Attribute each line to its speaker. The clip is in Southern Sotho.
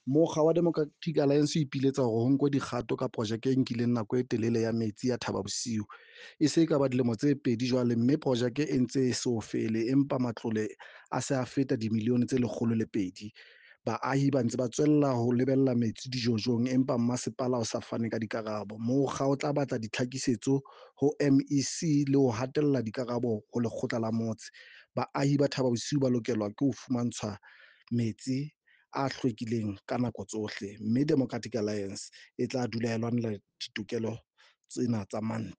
Speaker 1: Mokga wa Democratic Alliance o ipiletsa hore ho nkwe dikgato ka projeke e nkileng nako e telele ya metsi ya Thaba Bosiu. E se e ka ba dilemo tse 2 jwale mme projeke e ntse e so fele empa matlole a se a feta dimilione tse 102. Baahi ba ntse ba tswella ho lebella metsi dijojong empa masepala o sa fane ka dikarabo. Mokga o tla batla ditlhakisetso ho MEC le ho hatella dikarabo ho lekgotla la motse. Baahi ba Thaba Bosiu ba lokelwa ke ho fumantshwa metsi a hlwekileng ka nako tsohle, mme Democratic Alliance e tla dula e lwanela ditokelo tsena tsa mantlha.